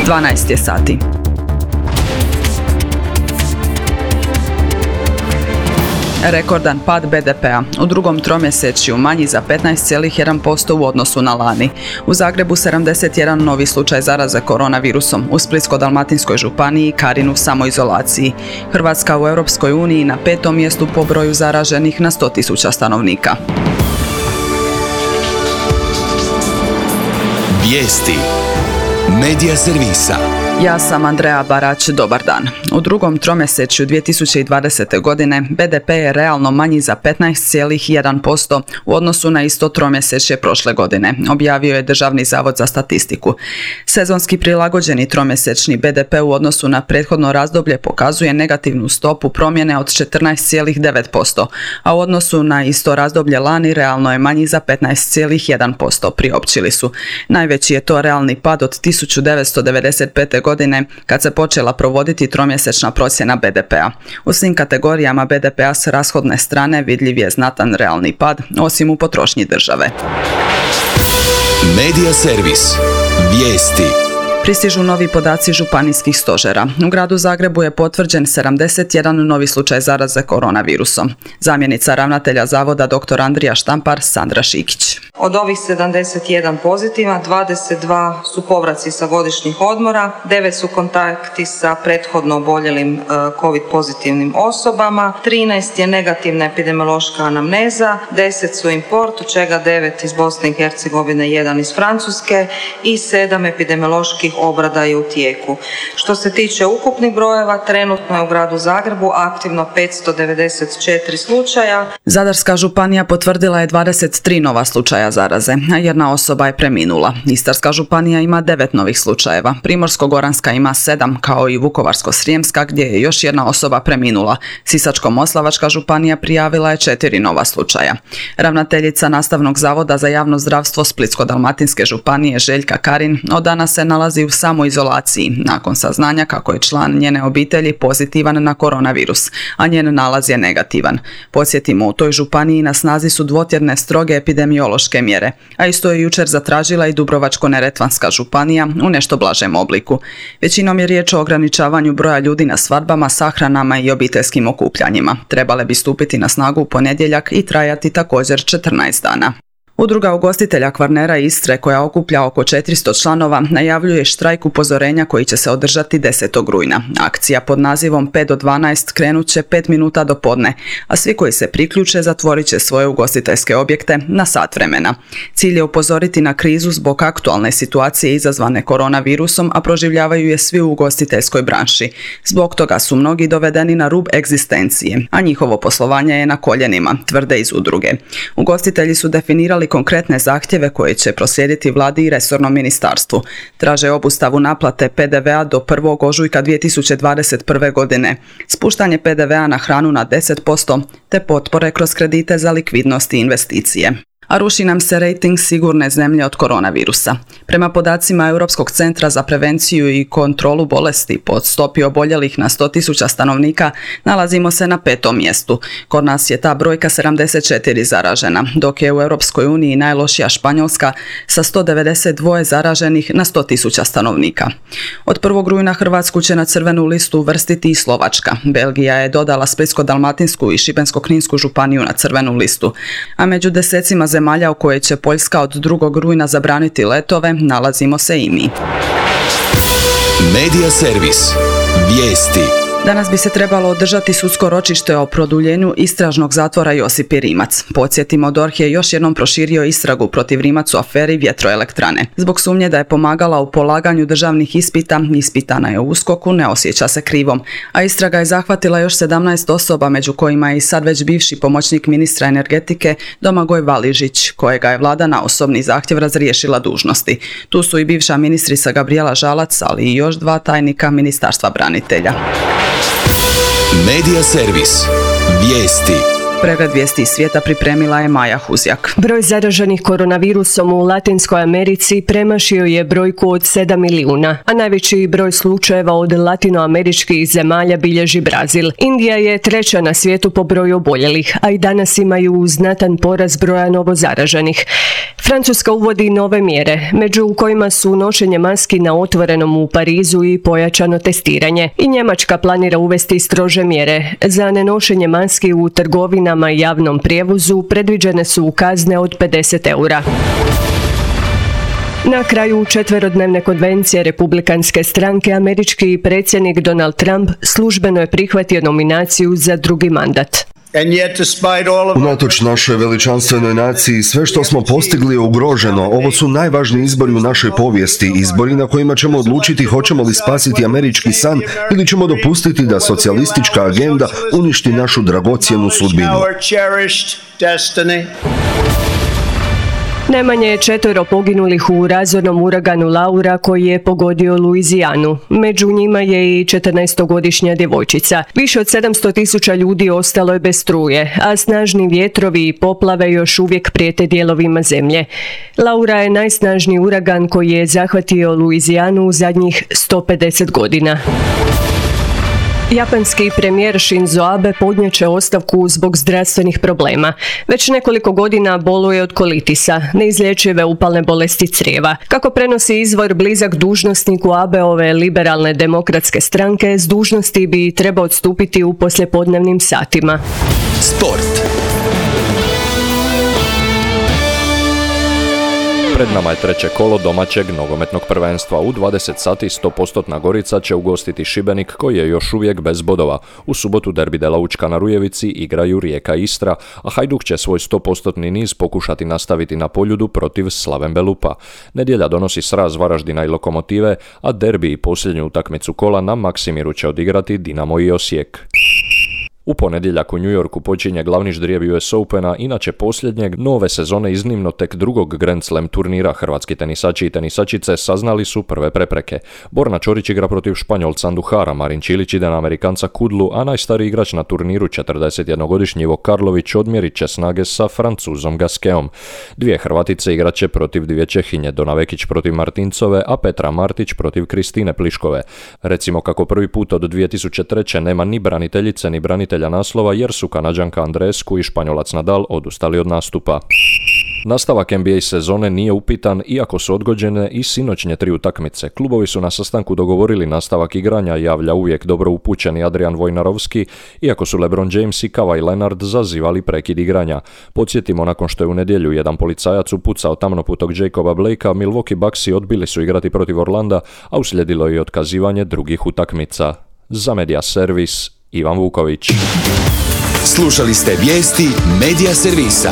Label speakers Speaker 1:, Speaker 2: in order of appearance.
Speaker 1: 12 je sati. Rekordan pad BDP-a. U drugom tromjesečju manji za 15,1% u odnosu na lani. U Zagrebu 71 novi slučaj zaraze koronavirusom. U Splitsko-dalmatinskoj županiji Karin u samoizolaciji. Hrvatska u Europskoj uniji na 5. mjestu po broju zaraženih na 100.000 stanovnika.
Speaker 2: Vijesti Medija servisa.
Speaker 1: Ja sam Andreja Barać, dobar dan. U drugom tromjesečju 2020. godine BDP je realno manji za 15,1% u odnosu na isto tromjesečje prošle godine, objavio je Državni zavod za statistiku. Sezonski prilagođeni tromjesečni BDP u odnosu na prethodno razdoblje pokazuje negativnu stopu promjene od 14,9%, a u odnosu na isto razdoblje lani realno je manji za 15,1%, priopćili su. Najveći je to realni pad od 1995. godine kad se počela provoditi tromjesečna procjena BDP-a. U svim kategorijama BDP-a s rashodne strane vidljiv je znatan realni pad, osim u potrošnji države.
Speaker 2: Medija servis. Vijesti.
Speaker 1: Pristižu novi podaci županijskih stožera. U gradu Zagrebu je potvrđen 71 novi slučaj zaraze koronavirusom. Zamjenica ravnatelja zavoda dr. Andrija Štampar, Sandra Šikić.
Speaker 3: Od ovih 71 pozitiva, 22 su povraci sa godišnjih odmora, 9 su kontakti sa prethodno oboljelim COVID pozitivnim osobama, 13 je negativna epidemiološka anamneza, 10 su import, od čega 9 iz Bosne i Hercegovine, 1 iz Francuske i 7 epidemioloških obrada je u tijeku. Što se tiče ukupnih brojeva, trenutno je u gradu Zagrebu aktivno 594 slučaja.
Speaker 1: Zadarska županija potvrdila je 23 nova slučaja zaraze, a jedna osoba je preminula. Istarska županija ima 9 novih slučajeva, Primorsko-goranska ima 7, kao i Vukovarsko-srijemska gdje je još jedna osoba preminula. Sisačko-moslavačka županija prijavila je 4 nova slučaja. Ravnateljica Nastavnog zavoda za javno zdravstvo Splitsko-dalmatinske županije Željka Karin od danas se nalazi u samoizolaciji nakon saznanja kako je član njene obitelji pozitivan na koronavirus, a njen nalaz je negativan. Podsjetimo, u toj županiji na snazi su dvotjedne stroge epidemiološke mjere, a isto je jučer zatražila i Dubrovačko-neretvanska županija u nešto blažem obliku. Većinom je riječ o ograničavanju broja ljudi na svadbama, sahranama i obiteljskim okupljanjima. Trebale bi stupiti na snagu u ponedjeljak i trajati također 14 dana. Udruga ugostitelja Kvarnera Istre, koja okuplja oko 400 članova, najavljuje štrajk upozorenja koji će se održati 10. rujna. Akcija pod nazivom 5 do 12 krenut će 5 minuta do podne, a svi koji se priključe zatvorit će svoje ugostiteljske objekte na sat vremena. Cilj je upozoriti na krizu zbog aktualne situacije izazvane koronavirusom, a proživljavaju je svi u ugostiteljskoj branši. Zbog toga su mnogi dovedeni na rub egzistencije, a njihovo poslovanje je na koljenima, tvrde iz udruge. Ugostitelji su definirali konkretne zahtjeve koje će proslijediti vladi i resornom ministarstvu. Traže obustavu naplate PDV-a do 1. ožujka 2021. godine, spuštanje PDV-a na hranu na 10% te potpore kroz kredite za likvidnost i investicije. A ruši nam se rejting sigurne zemlje od koronavirusa. Prema podacima Europskog centra za prevenciju i kontrolu bolesti po stopi oboljelih na 100.000 stanovnika nalazimo se na 5. mjestu. Kod nas je ta brojka 74 zaražena, dok je u Europskoj uniji najlošija Španjolska sa 192 zaraženih na 100.000 stanovnika. Od 1. rujna Hrvatsku će na crvenu listu uvrstiti i Slovačka. Belgija je dodala Splitsko-dalmatinsku i Šibensko-kninsku županiju na crvenu listu, a među desecima zemalja u koje će Poljska od 2. rujna zabraniti letove nalazimo se i mi.
Speaker 2: Medija servis. Vijesti.
Speaker 1: Danas bi se trebalo održati sudsko ročište o produljenju istražnog zatvora Josipi Rimac. Podsjetimo, DORH je još jednom proširio istragu protiv Rimac u aferi vjetroelektrane. Zbog sumnje da je pomagala u polaganju državnih ispita, ispitana je u USKOK-u, ne osjeća se krivom. A istraga je zahvatila još 17 osoba, među kojima je i sad već bivši pomoćnik ministra energetike Domagoj Valižić, kojega je vlada na osobni zahtjev razriješila dužnosti. Tu su i bivša ministrica Gabrijela Žalac, ali i još 2 tajnika Ministarstva branitelja.
Speaker 2: Medija servis. Vijesti.
Speaker 1: Pregled vijesti iz svijeta pripremila je Maja Huzjak.
Speaker 4: Broj zaraženih koronavirusom u Latinskoj Americi premašio je brojku od 7 milijuna, a najveći broj slučajeva od latinoameričkih zemalja bilježi Brazil. Indija je 3. na svijetu po broju oboljelih, a i danas imaju znatan porast broja novozaraženih. Francuska uvodi nove mjere, među kojima su nošenje maski na otvorenom u Parizu i pojačano testiranje. I Njemačka planira uvesti strože mjere. Za nenošenje maski u trgovinama i javnom prijevozu predviđene su kazne od 50 eura. Na kraju četverodnevne konvencije Republikanske stranke američki predsjednik Donald Trump službeno je prihvatio nominaciju za drugi mandat.
Speaker 5: Unatoč našoj veličanstvenoj naciji, sve što smo postigli je ugroženo. Ovo su najvažniji izbori u našoj povijesti, izbori na kojima ćemo odlučiti hoćemo li spasiti američki san ili ćemo dopustiti da socijalistička agenda uništi našu dragocjenu sudbinu.
Speaker 4: Najmanje je 4 poginulih u razornom uraganu Laura koji je pogodio Luizijanu. Među njima je i 14-godišnja djevojčica. Više od 700.000 ljudi ostalo je bez struje, a snažni vjetrovi i poplave još uvijek prijete dijelovima zemlje. Laura je najsnažniji uragan koji je zahvatio Luizijanu u zadnjih 150 godina. Japanski premijer Shinzo Abe podnijet će ostavku zbog zdravstvenih problema. Već nekoliko godina boluje od kolitisa, neizlječive upalne bolesti crijeva. Kako prenosi izvor blizak dužnosniku Abeove liberalne demokratske stranke, s dužnosti bi trebao odstupiti u poslijepodnevnim satima.
Speaker 2: Sport.
Speaker 6: Pred nama je treće kolo domaćeg nogometnog prvenstva. U 20 sati 100% Gorica će ugostiti Šibenik koji je još uvijek bez bodova. U subotu derbi Dela Učka na Rujevici igraju Rijeka i Istra, a Hajduk će svoj 100% niz pokušati nastaviti na Poljudu protiv Slaven Belupa. Nedjelja donosi sraz Varaždina i Lokomotive, a derbi i posljednju utakmicu kola na Maksimiru će odigrati Dinamo i Osijek. U ponedjeljak u New Yorku počinje glavni ždrijeb US Opena, inače posljednjeg nove sezone iznimno tek drugog Grand Slam turnira. Hrvatski tenisači i tenisačice saznali su prve prepreke. Borna Čorić igra protiv Španjolca Anduhara, Marin Čilić ide na Amerikanca Kudlu, a najstariji igrač na turniru, 41-godišnji Ivo Karlović, odmjerit će snage sa Francuzom Gasqueom. Dvije Hrvatice igraće protiv dvije Čehinje, Dona Vekić protiv Martincove, a Petra Martić protiv Kristine Pliškove. Recimo kako prvi put od 2003. nema ni braniteljice ni branitelja naslova jer su Kanađanka Andreescu i Španjolac Nadal odustali od nastupa. Nastavak NBA sezone nije upitan iako su odgođene i sinoćnje 3 utakmice. Klubovi su na sastanku dogovorili nastavak igranja, javlja uvijek dobro upućeni Adrian Wojnarowski, iako su LeBron James i Kawhi Leonard zazivali prekid igranja. Podsjetimo, nakon što je u nedjelju jedan policajac upucao tamnoputog Jacoba Blakea, Milwaukee Bucksi odbili su igrati protiv Orlanda, a uslijedilo je i otkazivanje drugih utakmica. Za Media Servis, Ivan Vuković.
Speaker 2: Slušali ste vijesti Media Servisa.